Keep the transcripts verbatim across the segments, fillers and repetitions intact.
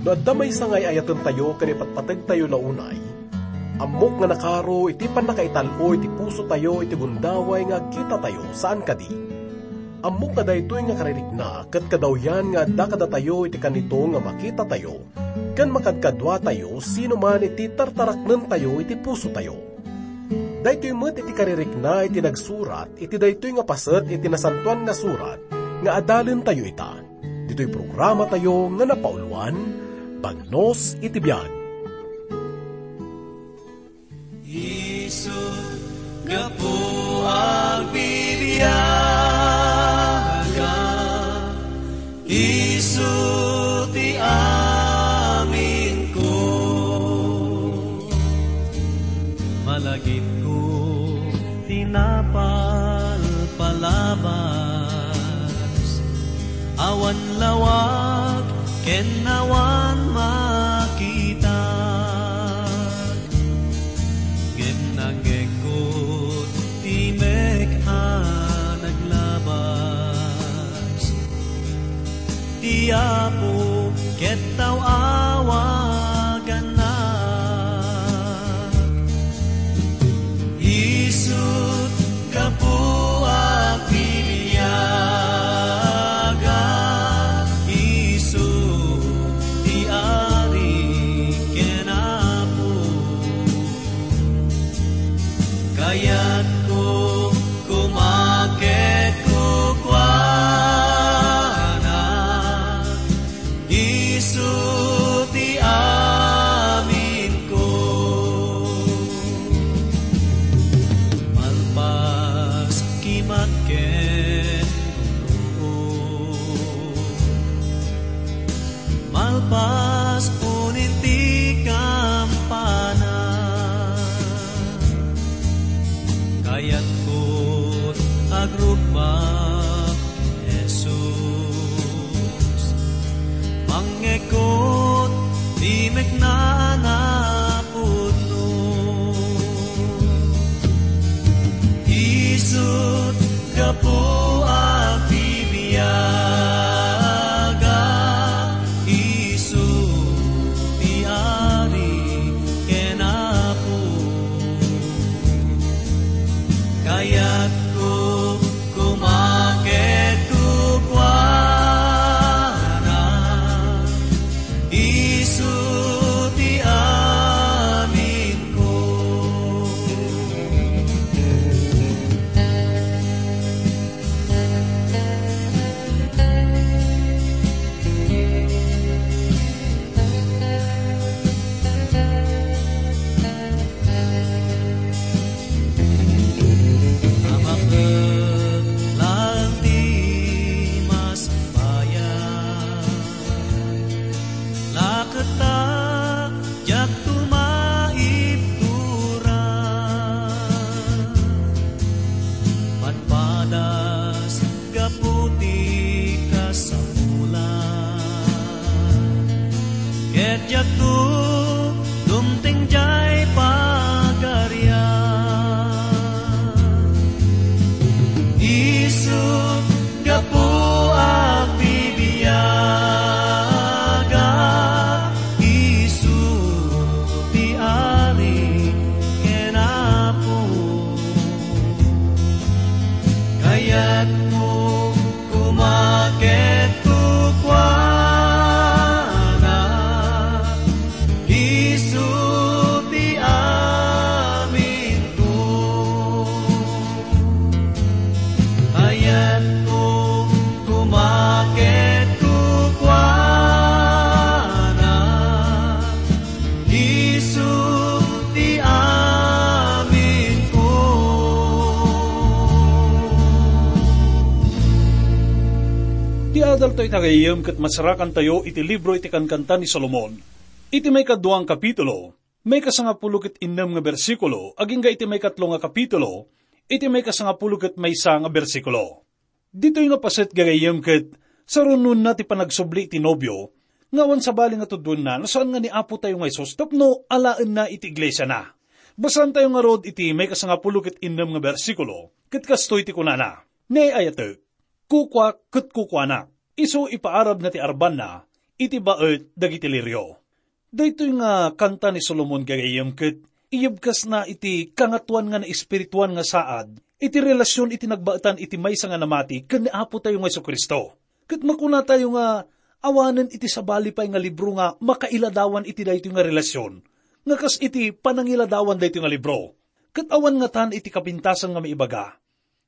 No adda maysa nga ay-ayatentayo ken ipatpategtayo la unay, ammok nga nakaro iti pannakaital-o iti pusotayo iti gundaway nga agkitatayo saan kadi. Ammok nga daytoy nga karirikna ket kadawyan nga adda kadatayo iti kanito nga makitatayo ken makadkaduatayo sino man iti tartaraknentayo iti pusotayo. Daytoy met iti karirikna iti nagsurat iti daytoy nga paset iti Nasantoan nga Surat nga adalentayo ita. Ditoy programatayo nga napauluan, Bagnos iti Biag. Isu gapu agbibiaga, isu ti aminko. Malagipko ti napalpalabas, awan lawag ken awan makita. Ngem nangngegko ti mek a naglabas. Ti Apo ket taw-awagannak. Isut' gapu a piliaga, isu ti Ari ken Apo. Kayatko koma ket kukuana, isu ti aminko. Malpas kimat ken gulod. Malpas unin ti kampana, kayatko agrukbak, Jesus. Mangngegko ti mekna a napudno. Isut' gapu a bibiaga, isu ti Ari ken Apo. Kayatko koma ket kukuana, isu ti aminko. Amak laeng ti masbayan, laketta diakto maibtura. Padpadas gapu ti kasapulan, ket diakto dumteng diay pagarian. Isu gapu a bibiaga, isu ti Ari ken Apo. Kayatko koma ket kukuana, isu ti aminko. Kayatko koma ket kukuana, isu ti aminko. Ti adaltayo ita gayyem ket masarakantayo iti libro iti Kankanta ni Solomon. Iti maikadua nga kapitulo, maikasangapulo ket innem nga bersikulo, agingga iti maikatlo nga kapitulo, iti maikasangapulo ket maysa nga bersikulo. Ditoy nga paset gagayyem ket sarunoenna ti panagsubli iti nobio, nga awan sabali nga tuddoenna no saan nga ni Apotayo nga Jesus tapno alaenna iti iglesiana. Basaentayo ngarud iti maikasangapulo ket innem nga bersikulo, ket kastoy ti kunana, Ni ay-ayatek, kukuak ket kukuanak. Isu ipaarabna ti arbanna, iti baet dagiti lirio. Daytoy nga kanta ni Solomon gagayyem ket iyebkasna iti kangatoan nga naespirituan nga saad iti relasion iti nagbaetan iti maysa nga namati ken ni Apo tayo nga Jesu-Cristo. Ket makunatayo nga awanen iti sabali pay nga libro nga makailadawan iti daytoy nga relasion, nga kas iti panangiladawan daytoy nga libro. Ket awan ngatan iti kapintasan nga maibaga,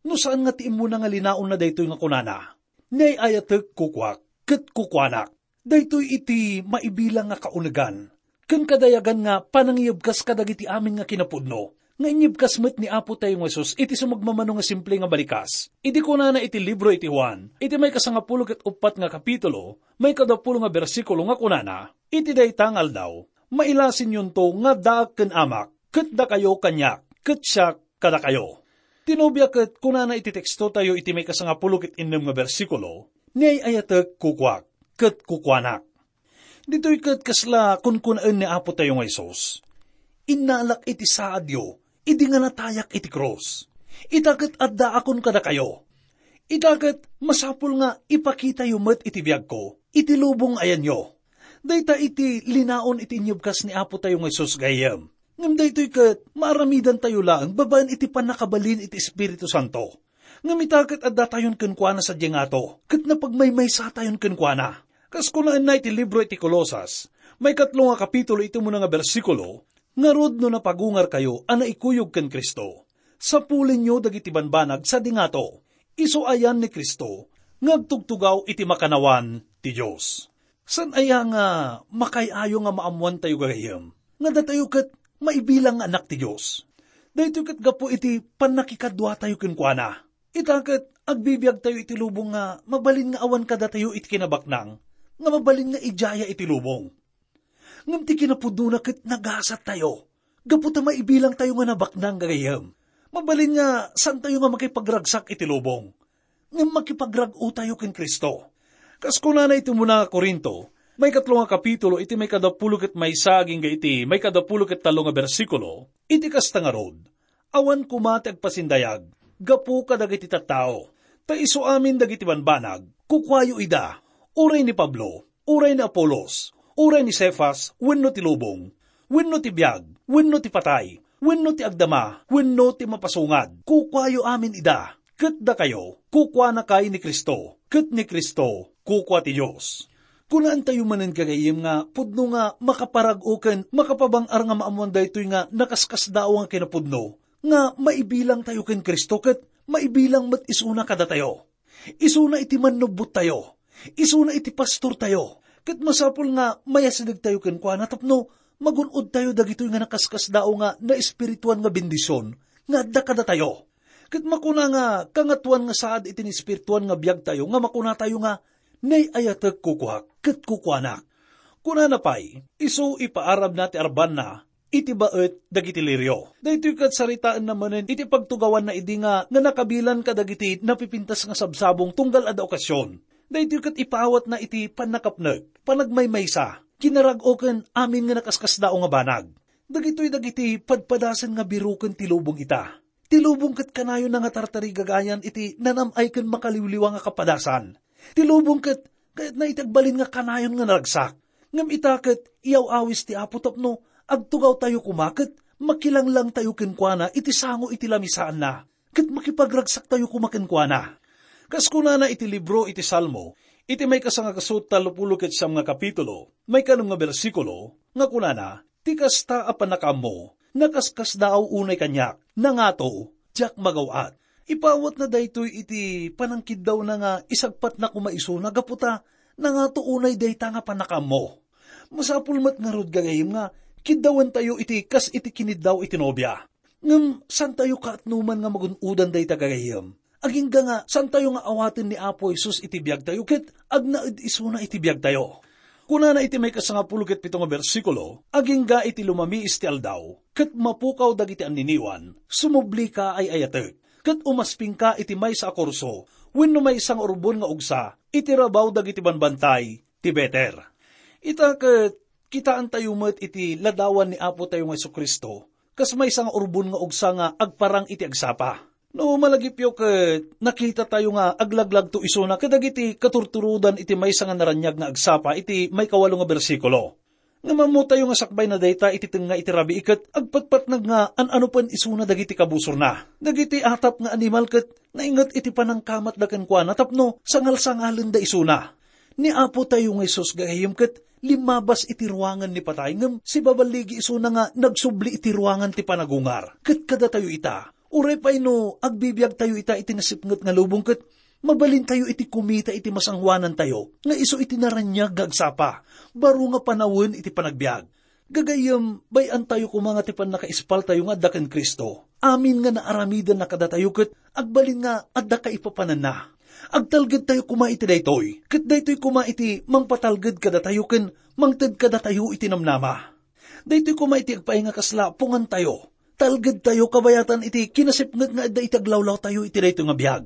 no saan nga ti immuna nga linaonna daytoy nga kunana, "Ni ay-ayatek kukuak, ket kukuanak." Daytoy iti maibilang nga kaunegan ken kadayagan nga panangiyebkas kadagiti amin nga kinapudno, nga inyebkas met ni Apo tayo nga Jesus iti sumagmamano nga simple nga balikas. Idi kunana iti libro iti Juan, iti may kasangapulo ket uppat nga kapitulo, may kadapulo nga bersikulo nga kunana, "Iti dayta nga aldaw, mailasinnyonto nga addaak ken Amak, ket dakayo kaniak, ket siak kadakayo." Ti nobia ket kunana iti teksto tayo iti may kasangapulo ket innem nga bersikulo, "Ni ay-ayatek kukuak, ket kukuanak." Ditoy ket kasla kunkunaen ni Apo tayo nga Jesus, "Innalak iti saadyo idi nga natayak iti krus. Ita ket addaakon kadakayo. Ita ket masapul nga ipakitayo met iti biagko, iti lubong ayanyo." Dayta iti linaon iti inyebkas ni Apo tayo nga Jesus gayyem. Ngem daytoy ket maaramidantayo laeng babaen iti pannakabalin iti Espiritu Santo. Ngem ita ket addatayon kenkuana sadiay ngato, ket napagmaymaysatayon kenkuana. Kas kunaenna iti libro iti Colosas, may katlo nga kapitulo iti umuna nga bersikulo, "Ngarud, no napagungarkayo a naikuyog ken Cristo, sapulenyo dagiti banbanag sadi ngato, isu ayan ni Cristo nga agtugtugaw iti makannawan ti Dios." Saan aya nga makaay-ayo nga maammoantayo gagayyem nga datayo ket maibilang nga anak ti Dios? Daytoy ket gapu iti pannakikaduatayo kenkuana. Ita ket agbibiagtayo iti lubong nga mabalin nga awan kadatayo iti kinabaknang, nga mabalin nga idiaya iti lubong. Ngem ti kinapudnona ket nagasattayo, gapu ta maibilangtayo nga nabaknang gagayyem. Mabalin nga saantayo nga makipagragsak iti lubong, ngem makipagrag-otayo ken Cristo. Kas kunana iti umuna nga Corinto, may katlo nga kapitulo iti may kadapulo ket maysa agingga iti may kadapulo ket tallo nga bersikulo, iti kasta ngarud, awan koma ti agpasindayag gapu kadagiti tattao. Ta isu amin dagiti banbanag, kukuayo ida, uray ni Pablo, uray ni Apolos, uray ni Cefas, wenno ti lubong, wenno ti biag, wenno ti patay, wenno ti agdama, wenno ti mapasungad, kukuayo amin ida. Ket dakayo, kukuanakay ni Cristo, ket ni Cristo, kukua ti Dios. Kunaentayo manen gagayyem nga pudno nga makaparag-o ken makapabang-ar nga maammoan daytoy nga nakaskasdaaw nga kinapudno, nga maibilangtayo ken Cristo ket maibilang met isuna kadatayo. Isuna iti mannubbottayo. Isuna iti pastortayo. Ket masapul nga mayasidegtayo kenkuana tapno magun-odtayo dagitoy nga nakaskasdaaw nga naespirituan nga bendision nga adda kadatayo. Ket makuna nga kangatoan nga saad iti naespirituan nga biagtayo nga makunatayo nga, "Nay-ayatek kukuak ket kukuanak." Kunana pay, isu ipaarabna ti arbanna iti baet dagiti lirio. Daytoy ket saritaenna manen iti pagtugawanna idi nga, nga nakabilan kadagiti napipintas nga sabsabong tunggal adda okasion. Daytoy ket ipaawatna iti pannakapnek, panagmaymaysa, kinarag-o ken amin nga nakaskasdaaw nga banag. Dagitoy dagiti padpadasen nga biroken ti lubong ita. Ti lubong ket kanayonna nga tartarigagayan iti nanam-ay ken makaliwliwa nga kapadasan. Ti lubong ket kayatna iti agbalin nga kanayon nga naragsak. Ngem ita ket iyaw-awis ti Apo tapno agtugawtayo koma ket makilanglangtayo kenkuana iti sango iti lamisaanna, ket makipagragsaktayo koma kenkuana. Kas kunana iti libro iti Salmo, iti may kasangagaso tallopulo ket siam nga kapitulo, may kanem nga bersikulo, nga kunana, "Ti kasta a pannakaammo, nakaskasdaaw unay kaniak, nangato, diak magaw-at." Ipawatna daytoy iti panangkiddawna nga isagpatna koma isuna gapu ta nangato unay dayta nga pannakaammo. Masapul met ngarud, gagayyem, nga kiddawentayo iti kas iti kiniddaw iti nobia. Ngem saantayo kaatnoman nga magun-odan dayta, gagayyem. Agingga nga saantayo nga awaten ni Apo Jesus iti biagtayo ket agnaed isuna iti biagtayo. Kunana iti may kasangapulo ket pito nga bersikulo, "Agingga iti lumamiis ti aldaw, ket mapukaw dagiti anniniwan, sumublika ay-ayatek, ket umaspingka iti maysa a kurso, wenno maysa nga urbon nga ugsa iti rabaw dagiti banbantay ti Beter." Ita ket kitaentayo met iti ladawan ni Apo tayo nga Jesu-Cristo, kas maysa nga urbon nga ugsa nga agparang iti agsapa. No malagipyo ket nakitatayo nga aglaglagto isuna kadagiti katurturodan iti maysa nga naraniag nga agsapa iti maikawalo nga bersikulo. Ngem ammotayo nga sakbay na dayta iti tengnga iti rabii ket agpatpatnag nga an-anopen isuna dagiti kabusorna. Dagiti atap nga animal ket nainget iti panangkamatda kenkuana tapno sangalsangalenda isuna. Ni Apotayo nga Jesus gagayyem ket limmabas iti ruangan ni patay ngem sibaballigi isuna nga nagsubli iti ruangan ti panagungar. Ket kadatayo ita, uray pay no agbibiagtayo ita iti nasipnget nga lubong ket mabalintayo iti kumita iti masangoanantayo nga isu iti naraniag nga agsapa, baro nga panawen iti panagbiag. Gagayyem, bay-antayo koma nga ti pannakaispaltayo nga adda ken Cristo. Amin nga naaramidenna kadatayo ket agbalin nga adda kaipapananna. Agtalgedtayo koma iti daytoy, ket daytoy koma iti mangpatalged kadatayo ken mangted kadatayo iti namnama. Daytoy koma iti agpaay nga kasla pungantayo. Talgedtayo kabayatan iti kinasipnget nga adda iti aglawlawtayo iti daytoy nga biag.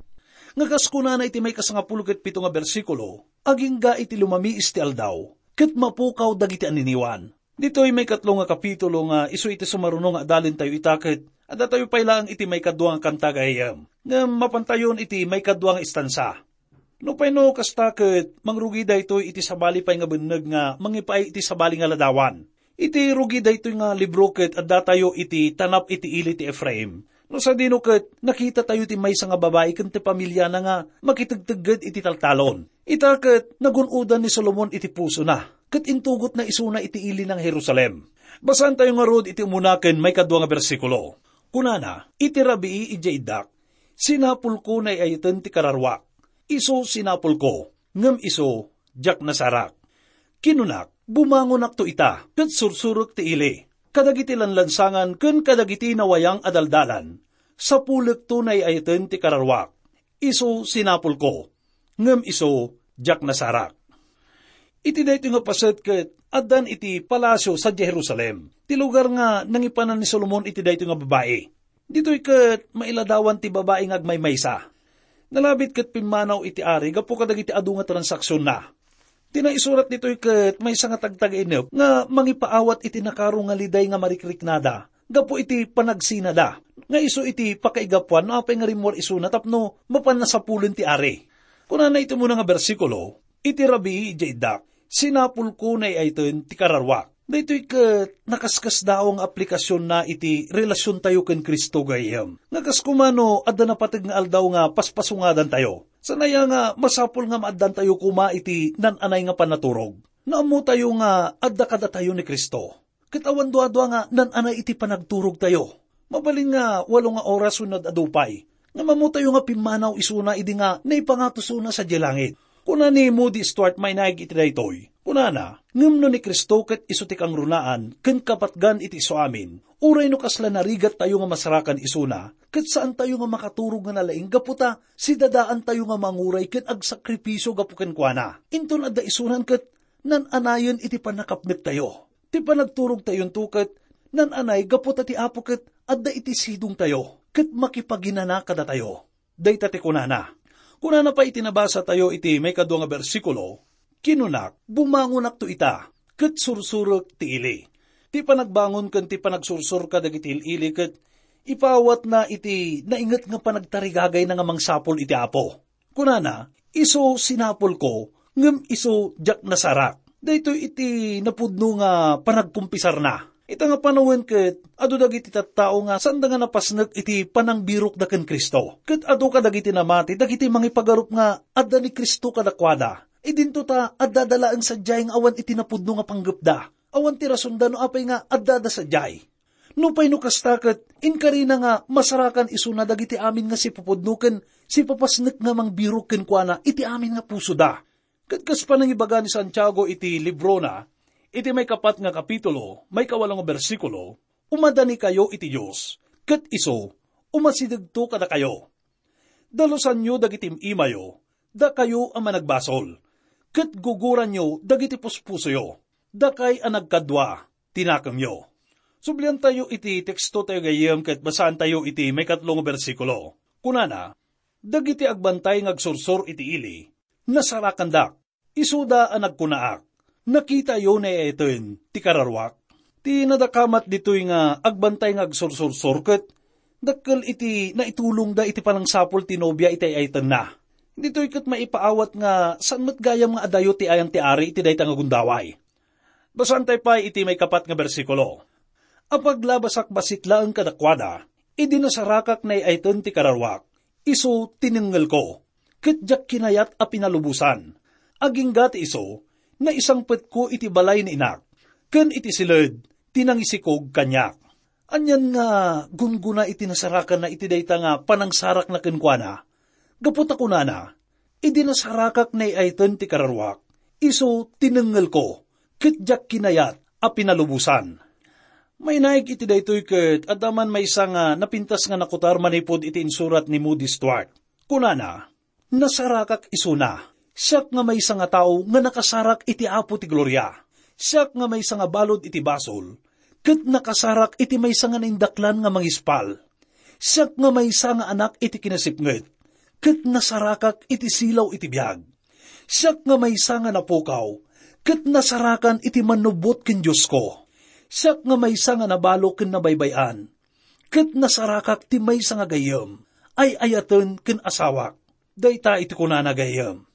Nga kas kunana iti maikasangapulo ket pito nga bersikulo, agingga iti lumamiis ti aldaw, ket mapukaw dagiti aniniwan. Ditoy maikatlo nga kapitulo nga isu iti sumaruno nga adalentayo ita ket addatayo pay laeng iti maikadua nga kanta gayam. Ngem mapantayon iti maikadua nga istansa. Nupay no kasta ket mangrugi daytoy iti sabali pay nga benneg nga mangipaay iti sabali nga ladawan. Iti rugi daytoy nga libro ket addatayo iti tanap iti ili ti Efraim. No sadino ket nakitatayo ti maysa nga babai ken ti pamiliana nga makitegtegged iti taltalon. Ita ket nagun-odan ni Solomon iti pusona, ket intugotna isuna iti ili nga Jerusalem. Basaentayo ngarud iti umuna ken maikadua nga bersikulo. Kunana, "Iti rabii idiay iddak, sinapulko nga ay-ayaten ti kararuak. Isu sinapulko, ngem isu diak nasarak. Kinunak, bumangonakto ita, ket sursurek ti ili. Kadagiti lanlansangan ken kadagiti nawayang a daldalan, sapulekto nga ay-ayaten ti kararuak. Isu sinapulko, ngem isu diak nasarak." Iti daytoy nga paset ket addan iti palasio sadiay Jerusalem, ti lugar nga nangipanan ni Solomon iti daytoy nga babai. Ditoy ket mailadawan ti babai nga agmaymaysa. Nalabit ket pimmanaw iti ari gapu kadagiti adu nga transaksionna. Ti naisurat ditoy ket maysa nga tagtagainep nga mangipaawat iti nakaro nga liday nga marikriknada gapu iti panagsinada, nga isu iti pakaigapuan no apay nga rimmuar isuna tapno mapanna sapulen ti ari. Kunana iti umuna nga bersikulo, "Iti rabii idiay iddak, sinapulko nga ay-ayaten ti kararuak." Daytoy ket nakaskasdaaw nga aplikasionna iti relasiontayo ken Cristo gayam. Nga kas koma no adda napateg nga aldaw nga paspasungadantayo. Saan aya nga masapul nga maaddantayo koma iti nan-anay nga pannaturog. Naammotayo nga adda kadatayo ni Cristo. Ket awan duadua nga nan-anay iti panagturogtayo. Mabalin nga walo nga oras wenno ad-adu pay. Ngem ammotayo nga pimmanaw isuna idi nga naipangatosona sadiay langit. Kuna ni Moody Stuart Mainaig iti daytoy. Kunana, "Ngem no ni Cristo ket isu ti kangrunaan ken kapatgan iti isuamin, uray no kasla narigattayo nga masarakan isuna, ket saantayo nga makaturog nga nalaing gapu ta sidadaantayo nga manguray ken agsakripisio gapu kenkuana. Inton adda isunan ket nan-anayen iti pannakapnektayo." Ti panagturogtayonto ket nan-anay gapu ta ti Apo ket adda iti sidongtayo ket makipaginana kadatayo. Dayta ti kunana. Kunana pay iti nabasatayo iti maikadua nga bersikulo, "Kinunak, bumangonakto ita, ket sursurek ti ili." Ti panagbangon ken ti panagsursor kadagiti il-ili ket ipaawatna iti nainget nga panagtarigagayna nga mangsapul iti Apo. Kunana, "Isu sinapulko, ngem isu diak nasarak." Daytoy iti napudno nga panagkumpisarna. Ita nga panawen ket adu dagiti tattao nga saanda nga napasnek iti panangbirokda ken Cristo. Ket adu kadagiti namati dagiti mangipagarup nga adda ni Cristo kadakuada. Idinto ta addada laeng sadiay nga awan iti napudno nga panggepda. Awan ti rasonda no apay nga addada sadiay. Nupay no kasta ket inkarina nga masarakan isuna dagiti amin nga sipupudno ken sipapasnek nga mangbirok kenkuana iti amin nga pusoda. Ket kas panangibaga ni Santiago iti librona, iti maikapat nga kapitulo, maikawalo nga bersikulo, "Umadanikayo iti Dios, ket isu, umasidegto kadakayo. Dalusanyo dagiti im-imayo, dakayo a managbasol, ket guguranyo dagiti puspusoyo, dakay a nagkadua ti nakemyo." Subliantayo iti tekstotayo gayem ket basaantayo iti maikatlo nga bersikulo. Kunana, "Dagiti agbantay nga agsursor iti ili, nasarakandak. Isuda a nagkunaak, 'Nakitayo nga ay-ayaten ti kararuak.'" Ti nadakamat ditoy nga agbantay nga agsursursor ket Dakkel iti naitulongda iti panangsapul ti nobia iti ay-ayatenna. Ditoy ket maipaawat nga saan met gayam nga adayo ti ayan ti ari iti dayta nga gundaway. Basaentayo pay iti maikapat nga bersikulo. Apaglabasak bassit laeng kadakuada, idi nasarakak naay-ayaten ti kararuak, isu tinengngelko, ket diak kinayat a pinalubosan. Agingga ti isu, naisangpetko iti balay ni inak, ken iti siled ti nangisikog kaniak. Anian nga gunggona iti nasarakanna iti dayta nga panangsarakna kenkuana? Gapu ta kunana, "Idi nasarakak naay-ayaten ti kararuak, isu tinengngelko, ket diak kinayat a pinalubosan." Mainaig iti daytoy ket adda man maysa nga napintas nga nakutar manipud iti insurat ni Moody Stuart. Kunana, "Nasarakak isuna. Siak nga maysa nga tao nga nakasarak iti Apo ti Gloria. Siak nga maysa nga balud iti basol, ket nakasarak iti maysa nga naindaklan nga mangispal. Siak nga maysa nga anak iti kinasipnget, ket nasarakak iti silaw iti biag. Siak nga maysa nga napukaw, ket nasarakan iti mannubbot ken Diosko. Siak nga maysa nga nabalo ken nabaybay-an, ket nasarakak ti maysa nga gayyem, ay-ayaten ken asawak." Dayta iti kunana, gayyem.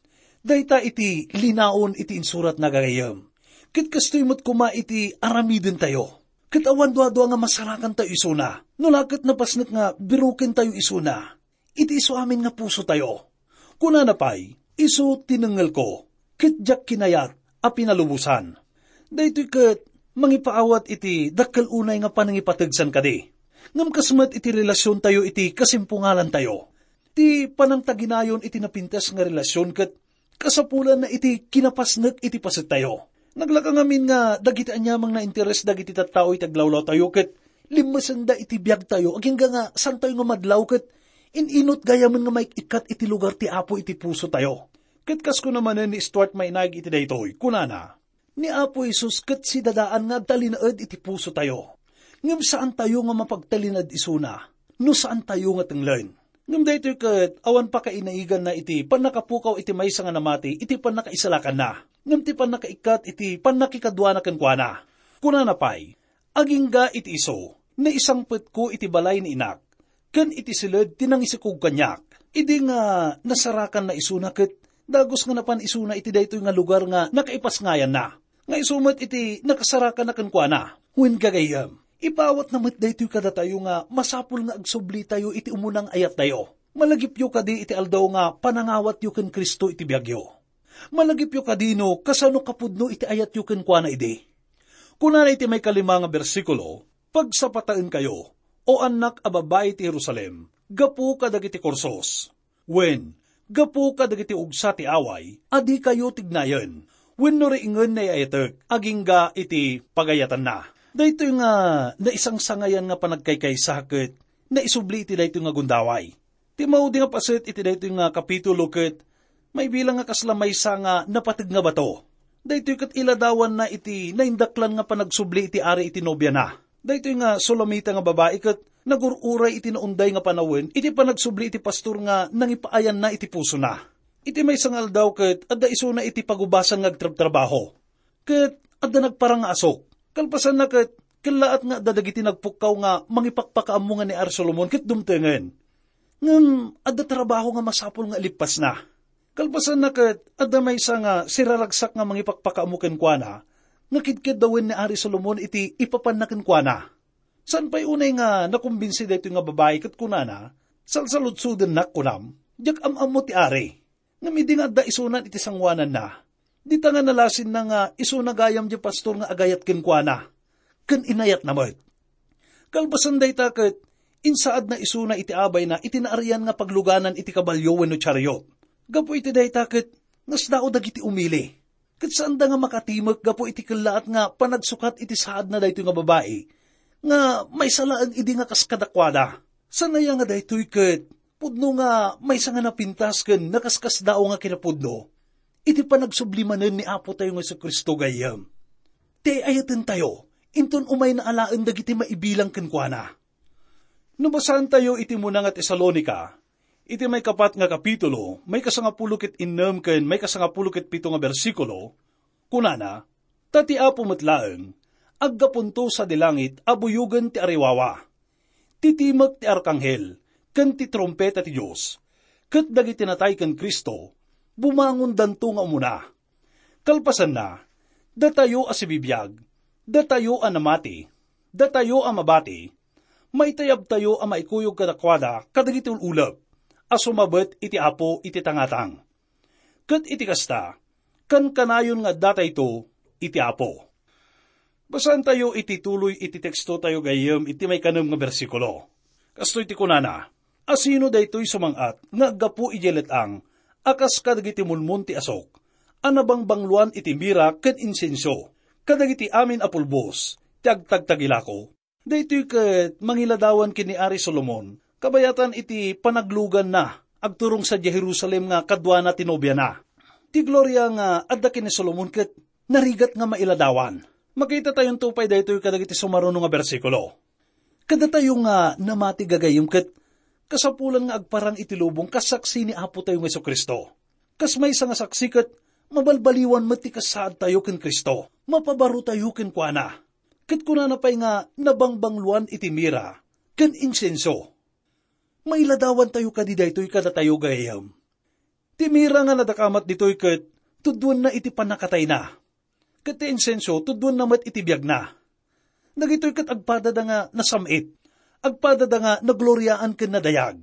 Dayta iti linaon iti insuratna, gayyem. Ket kastoy met koma iti aramidentayo. Ket awan duadua nga masarakantayo isuna. No la ket napasnek nga birukentayo isuna iti isu amin nga pusotayo. Kunana pay, "Isu tinengngelko, ket diak kinayat a pinalubosan." Daytoy ket mangipaawat iti dakkel unay nga panangipateg san kadi. Ngem kas met iti relasiontayo iti kasimpungalantayo. Ti panangtaginayon iti napintas nga relasion ket kasapulanna iti kinapasnek iti pasettayo. Naglaka ngamin nga dagiti aniamang nainteres dagiti tattao iti aglawlawtayo ket limmesenda iti biagtayo agingga nga santayo nga madlaw ket in-inut gayamen nga maik-ikkat iti lugar ti Apo iti pusotayo. Ket kas kuna manen ni Stuart Mainaig iti daytoy, kunana, "Ni Apo Jesus ket sidadaan nga agtalinaed iti pusotayo. Ngem saantayo nga mapagtalinaed isuna no saantayo nga tenglen." Ngem daytoy ket awan pakainaiganna iti pannakapukaw iti maysa nga namati iti pannakaisalakanna, ngem ti pannakaikkat iti pannakikaduana kenkuana. Kunana pay, "Agingga iti isu, naisangpetko iti balay ni inak, ken iti siled ti nangisikog kaniak." Idi nga nasarakanna isuna ket dagus nga napan isuna iti daytoy nga lugar nga nakaipasngayanna, nga isu met iti nakasarakanna kenkuana. Wen, gagayyem, ipaawatna met daytoy kadatayo nga masapul nga agsublitayo iti umunang ayattayo. Malagipyo kadi iti aldaw nga panangawatyo ken Cristo iti biagyo. Malagipyo kadi no kasano kapudno iti ayatyo kenkuana idi. Kunana iti maikalima nga bersikulo, "Pagsapataenkayo, O annak a babbai ti Jerusalem, gapu kadagiti kursos. Wen, gapu kadagiti ugsa ti away a dikayo tignayen, wenno riingen nayayatek agingga iti pagayatanna." Daytoy nga naisangsangayan nga panagkaykaysa ket naisubli iti daytoy nga gundaway. Ti maudi nga paset iti daytoy nga kapitulo ket maibilang nga kasla maysa nga napateg nga bato. Daytoy ket iladawanna iti naindaklan nga panagsubli iti ari iti nobiana. Daytoy nga Sulamita nga babai ket nagur-uray iti naunday nga panawen iti panagsubli iti pastor nga nangipaayanna iti pusona. Iti maysa nga aldaw ket adda isuna iti pagubasan nga agtrabtrabaho. Ket adda nagparang nga asok. Kalpasanna ket kellaat nga adda dagiti nagpukkaw nga mangipakpakaammo nga ni Ari Solomon ket dumtengen. Ngem adda trabaho nga masapul nga ilippasna. Kalpasanna ket adda maysa nga siraragsak nga mangipakpakaammo kenkuana nga kidkeddawen ni Ari Solomon iti ipapanna kenkuana. Saan pay unay nga nakumbinsi daytoy nga babai ket kunana, "Salsaludsodennak, kunam, diak am-ammo ti ari." Ngem idi nga adda isunan iti sangoananna, dita nga nalasinna nga isuna gayam diay pastor nga agayat kenkuana, ken inayatna met. Kalpasan dayta ket insaadna isuna iti abayna iti naarian nga pagluganan iti kabalio wenno chariot. Gapu iti dayta ket nasdaaw dagiti umili. Ket saanda nga makatimek gapu iti kellaat nga panagsukat iti saadna daytoy nga babai nga maysa laeng idi nga kas kadakuada. Saan aya nga daytoy ket pudno nga maysa nga napintas ken nakaskasdaaw nga kinapudno iti panagsubli manen ni Apotayo nga Jesu-Cristo gayyem. Ti ay-ayatentayo, inton umayna alaen dagiti maibilang kenkuana. No basaentayo iti muna nga Tesalonica, iti maikapat nga kapitulo, maikasangapulo ket innem ken maikasangapulo ket pito nga bersikulo, kunana, "Ta ti Apo met laeng, aggapunto sadi langit a buyogen ti ariwawa. Ti timek ti arkanghel ken ti trumpeta ti Dios, ket dagiti natay ken Cristo, bumangondanto nga umuna. Kalpasanna, datayo a sibibiag, datayo a namati, datayo a mabati, maitayabtayo a maikuyog kadakuada kadagiti ul-ulep a sumabet iti Apo iti tangatang. Ket iti kasta, kankanayon nga addatayto iti Apo. Basaentayo iti tuloy iti tekstotayo gayyem iti maikanem nga bersikulo. Kastoy ti kunana, "Asino daytoy sumang-at nga aggapu idiay let-ang a kas kadagiti mulmon ti asok a nabangbangloan iti mira ken insenso kadagiti amin a pulbos ti agtagtagilako?" Daytoy ket mangiladawan ken ni Ari Solomon, kabayatan iti panagluganna agturong sadiay Jerusalem nga kaduana ti nobiana. Ti gloria nga adda ken ni Solomon ket narigat nga mailadawan. Makitatayonto pay daytoy kadagiti sumaruno nga bersikulo. Kadatayo nga namati gagayyem ket kasapulan nga agparang iti lubong kas saksi ni Apo tayo nga Jesu-Cristo. Kas maysa nga saksi ket mabalbaliwan met ti kasaadtayo ken Cristo. Mapabarotayo kenkuana. Ket kunana pay nga nabangbangloan iti mira ken insenso. Mailadawantayo kadi daytoy kadatayo gagayyem? Ti mira nga nadakamat ditoy ket tudduenna iti pannakatayna. Ket ti insenso tudduenna met iti biagna. Dagitoy ket agpadada nga nasam-it, agpadada nga nagloriaan ken nadayag.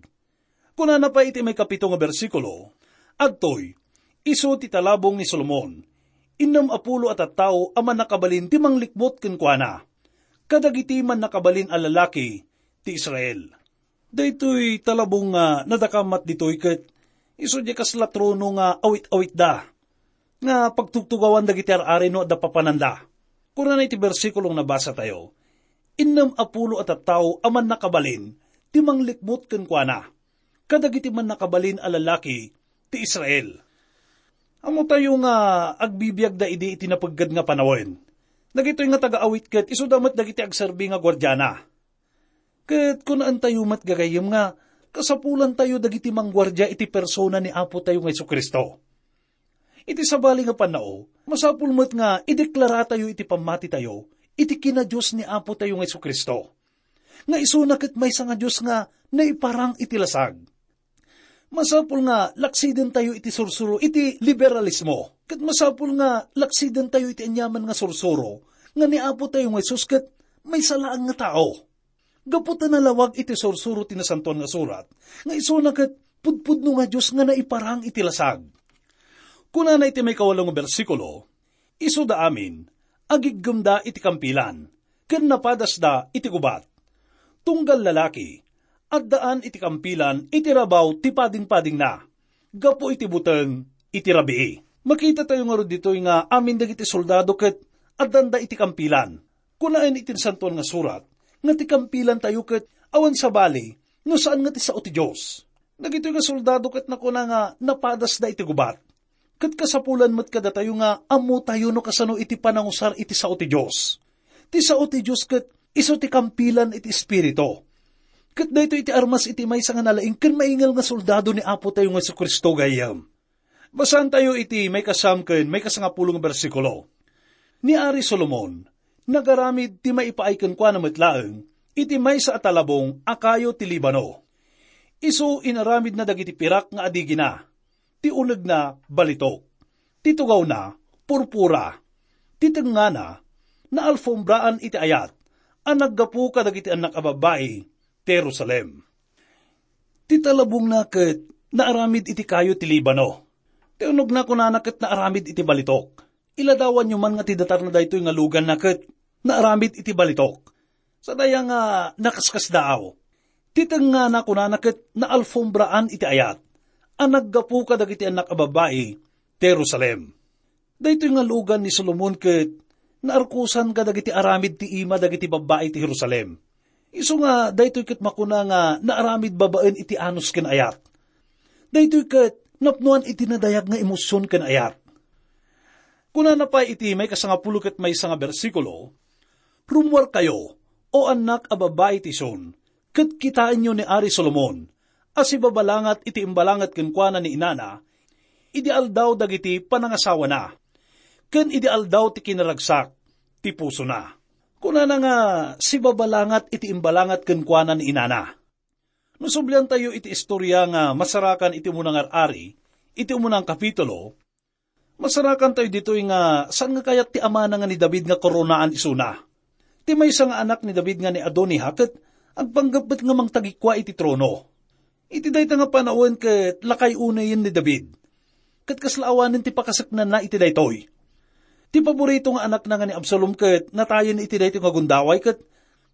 Kunana pay iti maikapito nga bersikulo, "Adtoy, isu ti talabong ni Solomon, innem a pulo a tattao a mannakabalin ti manglikmut kenkuana, kadagiti mannakabalin a lalaki ti Israel." Daytoy talabong nga nadakamat ditoy ket isu diay kasla trono nga awit-awitda nga pagtugtugawan dagiti ar-ari no adda papananda. Kunana iti bersikulong nabasatayo, "Innem a pulo a tattao a mannakabalin ti manglikmut kenkuana, kadagiti mannakabalin a lalaki ti Israel." Ammotayo nga agbibiagda idi iti napeggad nga panawen. Dagitoy nga taga-awit ket isuda met dagiti agserbi nga guardiana. Ket kunaentayo met gagayyem nga kasapulantayo dagiti mangguardia iti persona ni Apo tayo nga Jesu-Cristo. Iti sabali nga pannao, masapul met nga ideklaratayo iti pammatitayo iti kinadios ni Apo tayo nga Jesu-Cristo, nga isuna ket maysa nga Dios nga naiparang iti lasag. Masapul nga laksidentayo iti sursuro iti liberalismo, ket masapul nga laksidentayo iti aniaman nga sursuro nga ni Apo tayo nga Jesus ket maysa laeng nga tao. Gapu ta nalawag iti sursuro ti Nasantoan nga Surat nga isuna ket pudpudno nga Dios nga naiparang iti lasag. Kunana iti maikawalo nga bersikulo, "Isuda amin, agiggemda iti kampilan, ken napadasda iti gubat. Tunggal lalaki, addaan iti kampilan iti rabaw ti padingpadingna, gapu iti buteng iti rabii." Makitatayo ngarud ditoy nga amin dagiti soldado ket addanda iti kampilan. Kunaen iti Nasantoan nga Surat nga ti kampilantayo ket awan sabali no saan nga ti sao ti Dios. Dagitoy nga soldado ket nakuna nga napadasda iti gubat. Ket kasapulan met kadatayo nga ammotayo no kasano iti panangusar iti sao ti Dios. Ti sao ti Dios ket isu ti kampilan iti Espiritu. Ket daytoy iti armas iti maysa nga nalaing ken maingal nga soldado ni Apo tayo nga Jesu-Cristo gayyem. Basaentayo iti maikasam ken maikasangapulo nga bersikulo. Ni Ari Solomon, nagaramid ti maipaay kenkuana met laeng iti maysa a talabong a kayo ti Libano. Isu inaramidna dagiti pirak nga adigina, ti unegna balitok, ti tugawna purpura, ti tengngana naalfombraan iti ayat a naggapu kadagiti annak a babbai ti Jerusalem. Ti talabongna ket naaramid iti kayo ti Libano. Ti unogna kunana ket naaramid iti balitok. Iladawanyo man nga ti datarna daytoy nga luganna ket naaramid iti balitok. Sadaya nga nakaskasdaaw. Ti tengngana kunana ket naalfombraan iti ayat a naggapu kadagiti annak a babbai ti Jerusalem. Daytoy nga lugan ni Solomon ket naarkusan kadagiti aramid ti ima dagiti babbai ti Jerusalem. Isu nga daytoy ket makuna nga naaramid babaen iti anus ken ayat. Daytoy ket napnoan iti nadayag nga emosion ken ayat. Kunana pay iti maikasangapulo ket maysa nga bersikulo, "Rummuarkayo, O annak a babbai ti Sion, ket kitaenyo ni Ari Solomon a sibabalangat iti imbalangat kenkuana ni inana, idi aldaw dagiti panangasawana, ken idi aldaw ti kinaragsak ti pusona. Kunana nga sibabalangat iti imbalangat kenkuana ni inana. No subliantayo iti istorya nga masarakan iti umuna nga ar-ari, iti umuna nga kapitulo, masarakantayo ditoy nga saan nga kayat ti amana nga ni David nga koronaan isuna. Ti maysa nga anak ni David nga ni Adonija ket agpanggep met nga mangtagikua iti trono. Iti dayta nga panawen ket lakay unayen ni David. Ket kasla awanen ti pakaseknanna iti daytoy. Ti paborito nga anakna nga ni Absalom ket natayen iti daytoy nga gundaway ket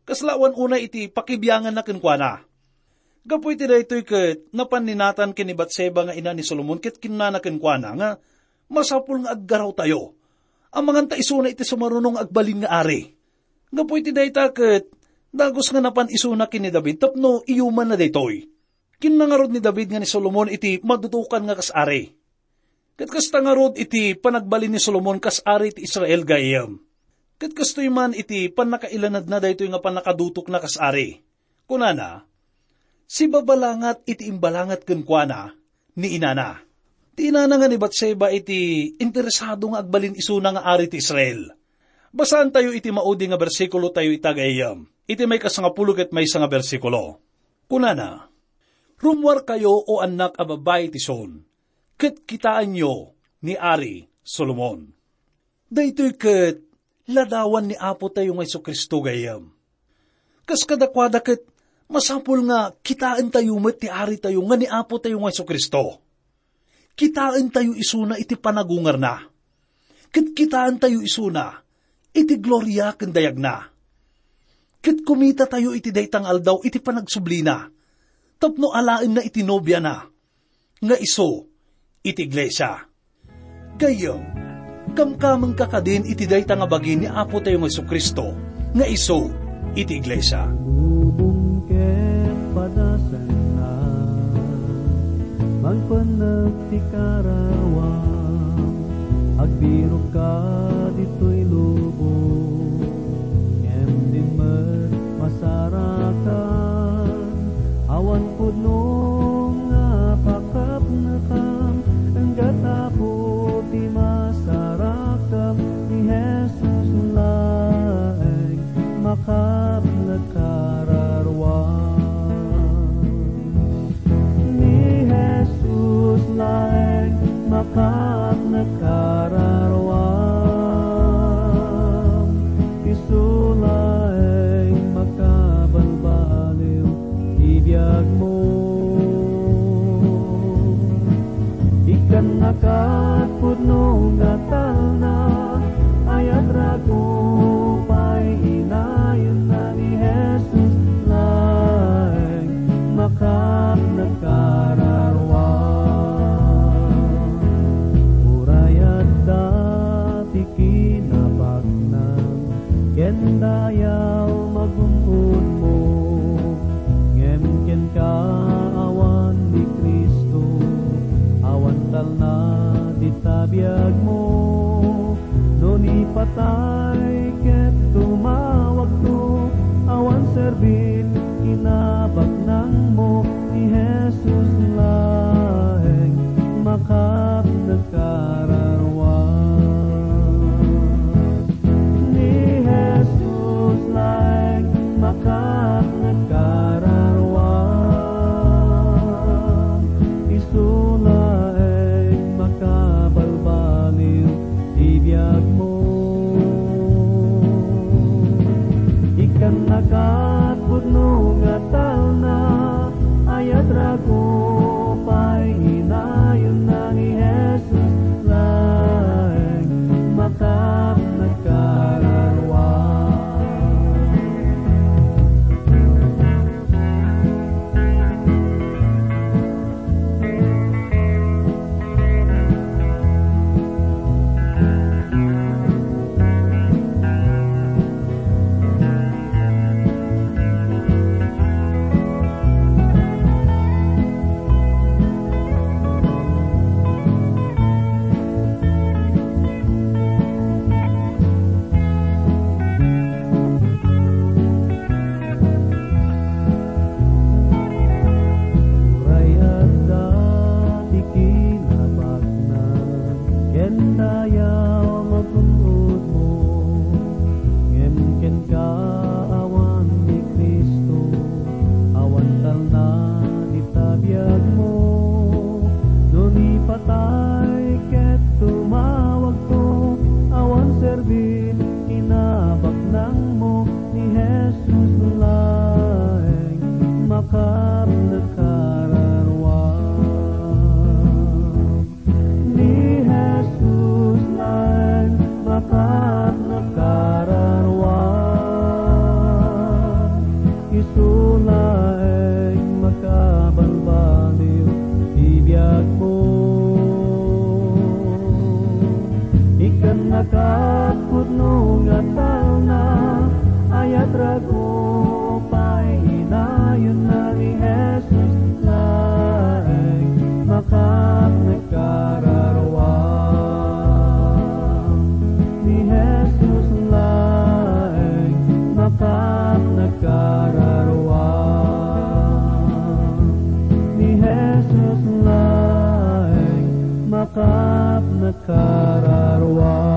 kasla awan unay iti pakibianganna kenkuana. Gapu iti daytoy ket napan ni Natan ken ni Batseba nga ina ni Solomon ket kinunana kenkuana nga masapul nga aggarawtayo. Amanganta isuna iti sumaruno nga agbalin nga ari. Gapu iti dayta ket dagus nga napan isuna ken ni David tapno iyumanna daytoy. Kinuna ngarud ni David nga ni Solomon iti madudukan nga kas ari. Ket kasta ngarud iti panagbalin ni Solomon kas ari ti Israel gayyem. Ket kastoy man iti pannakailanadna daytoy nga pannakadutokna kas ari. Kunana, sibabalangat iti imbalangat kenkuana ni inana. Ti inana nga ni Batseba iti interesado nga agbalin isuna nga ari ti Israel. Basaantayo iti maudi nga bersikulo tayo ita gayyem, iti maikasangapulo ket maysa nga bersikulo. Kunana, "Rummuarkayo, o annak a babbai ti Sion, ket kitaenyo ni Ari Solomon." Daytoy ket ladawan ni Apo tayo nga Jesu-Cristo gayyem. Kas kadakuada ket masapul nga kitaentayo met ti Ari tayo nga ni Apo tayo nga Jesu-Cristo. Kitaentayo isuna iti panagungarna. Ket kitaentayo isuna iti gloria ken dayagna. Ket kumitatayo iti dayta nga aldaw iti panagsublina tapno alaenna iti nobiana nga isu iti iglesia. Gayyem, kamkamengka kadin iti dayta nga bagi ni Apo tayo nga Jesu-Cristo nga isu iti iglesia. Lubong ket padasanna, mangpenneg ti karawam, agbirokka ditoy lubong, ngem din met masarakan, awan pudno nga pakapnekam, enggat Apo ti masarakam, ni Jesus laeng makapnekka raruam. Ni Jesus laeng makapnekka raruam. Isu laeng makabalbaliw ti biagmo. Ikkannakat pudno nga talna, ayat rago pay inayenna ni Jesus laeng makapnekka raruam. Uray adda ti kinabaknang ken dayaw magum-ummo, ngem kenka awan ni Cristo, awan talna dita biagmo. No ni patay ket tumawagto, awan serbit kinabaknangmo, ni Jesus laeng makapnekka raruam. Ni Jesus laeng makapnekka raruam. Isu laeng makabalbaliw ti biagmo. Ikkannakat pudno nga talna, ayat rago pay inayenna ni Jesus laeng makapnekka raruam. kararua.